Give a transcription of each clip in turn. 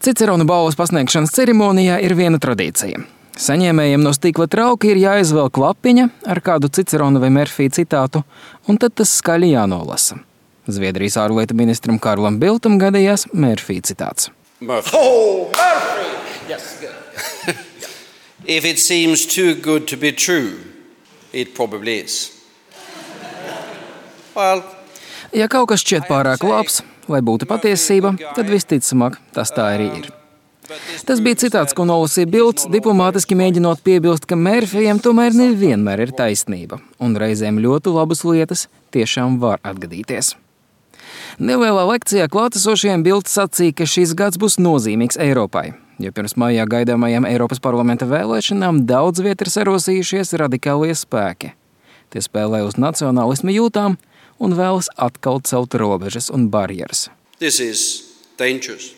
Cicerona balvas pasniegšanas ceremonijā ir viena tradīcija. Saņēmējiem no stikla trauka ir jāizvelk lapiņa ar kādu Cicerona vai Mērfija citātu, un tad tas skaļi jānolasa. Zviedrijas ārlietu ministram Karlam Bildtam gadījās Mērfija citāts. Murphy. Oh, Murphy! Yes, good. If it seems too good to be true, it probably is. Well, ja kaut kas šķiet pārāk labs, lai būtu patiesība, tad visticamāk tas tā arī ir. Tas bija citāts, ko nolasīja Bilds, diplomātiski mēģinot piebilst, ka Mērfijam tomēr nevienmēr ir taisnība, un reizēm ļoti labas lietas tiešām var atgadīties. Nelielā lekcijā klātesošajiem Bilds sacīja, ka šis gads būs nozīmīgs Eiropai, jo pirms maijā gaidāmajām Eiropas parlamenta vēlēšanām daudz viet ir sarosījušies radikālie spēki. Tie spēlē uz nacionālisma jūtām un vēlas atkal celt robežas un barjeras. this is dangerous.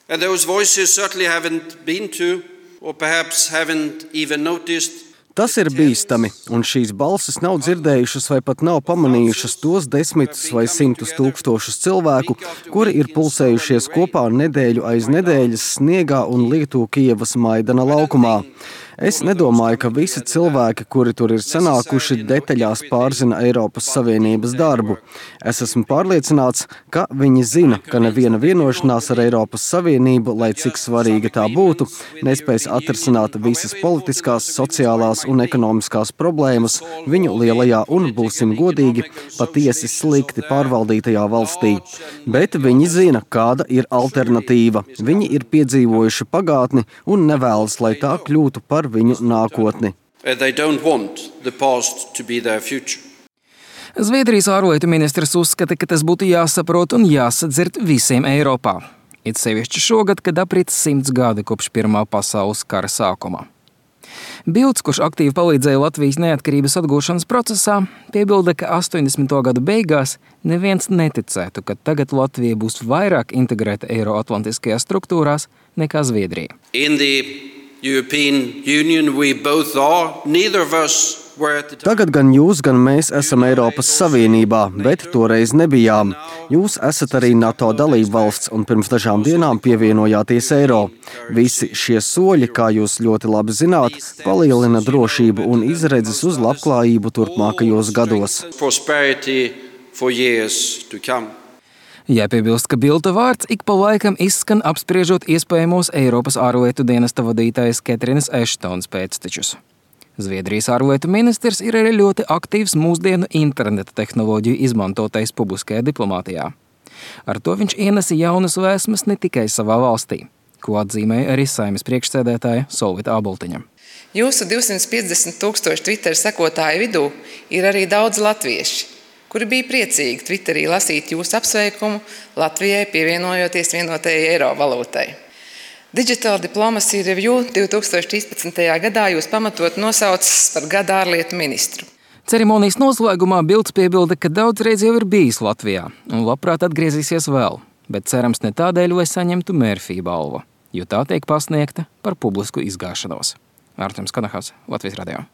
And those voices certainly haven't been to, or perhaps haven't even noticed. Tas ir bīstami, un šīs balsis nav dzirdējušas vai pat nav pamanījušas tos desmitus vai simtus tūkstošus cilvēku, kuri ir pulsējušies kopā nedēļu aiz nedēļas sniegā un lietu Kijevas Maidana laukumā. Es nedomāju, ka visi cilvēki, kuri tur ir sanākuši, detaļās pārzina Eiropas Savienības darbu. Es esmu pārliecināts, ka viņi zina, ka neviena vienošanās ar Eiropas Savienību, lai cik svarīga tā būtu, nespēs atrisināt visas politiskās, sociālās un ekonomiskās problēmas viņu lielajā un, būsim godīgi, patiesi slikti pārvaldītajā valstī. Bet viņi zina, kāda ir alternatīva. Viņi ir piedzīvojuši pagātni un nevēlas, lai tā kļūtu par viņu nākotni. They don't want the past to be their future. Zviedrijas ārlietu ministrs uzskata, ka tas būtu jāsaprot un jāsadzird visiem Eiropā. It sevišķi šogad, kad aprit 100 gadi kopš Pirmā pasaules kara sākuma. Bilds, kurš aktīvi palīdzēja Latvijas neatkarības atgūšanas procesā, piebilda, ka 80. gadu beigās neviens neticētu, ka tagad Latvija būs vairāk integrēta Eiroatlantiskajās struktūrās nekā Zviedrija. In the European Union we both are. Neither of us were at the time. Tagad gan jūs, gan mēs esam Eiropas Savienībā, bet toreiz nebijām. Jūs esat arī NATO dalība valsts un pirms dažām dienām pievienojāties Eiro. Visi šie soļi, kā jūs ļoti labi zināt, palielina drošību un izredzes uz labklājību turpmākajos gados. Prosperity for years to come. Jāpiebilst, ka Bilda vārds ik pa laikam izskan apspriežot iespējamos Eiropas ārlietu dienesta vadītājas Ketrinas Eštons pēctečus. Zviedrijas ārlietu ministrs ir arī ļoti aktīvs mūsdienu interneta tehnoloģiju izmantotais publiskajā diplomātijā. Ar to viņš ienesa jaunas vēsmas ne tikai savā valstī, ko atzīmēja arī Saeimas priekšsēdētāja Solvita Āboltiņa. Jūsu 250 000 Twitter sekotāju vidū ir arī daudz latvieši, kuri bija priecīgi Twitterī lasīt jūsu apsveikumu Latvijai pievienojoties vienotajai eiro valūtai. Digital Diplomacy Review 2013. gadā jūs pamatot nosaucis par gada ārlietu ministru. Ceremonijas noslēgumā Bilds piebilda, ka daudzreiz jau ir bijis Latvijā un labprāt atgriezīsies vēl, bet cerams ne tādēļ, lai saņemtu Mērfija balvu, jo tā tiek pasniegta par publisku izgāšanos. Arturs Kanahas, Latvijas radio.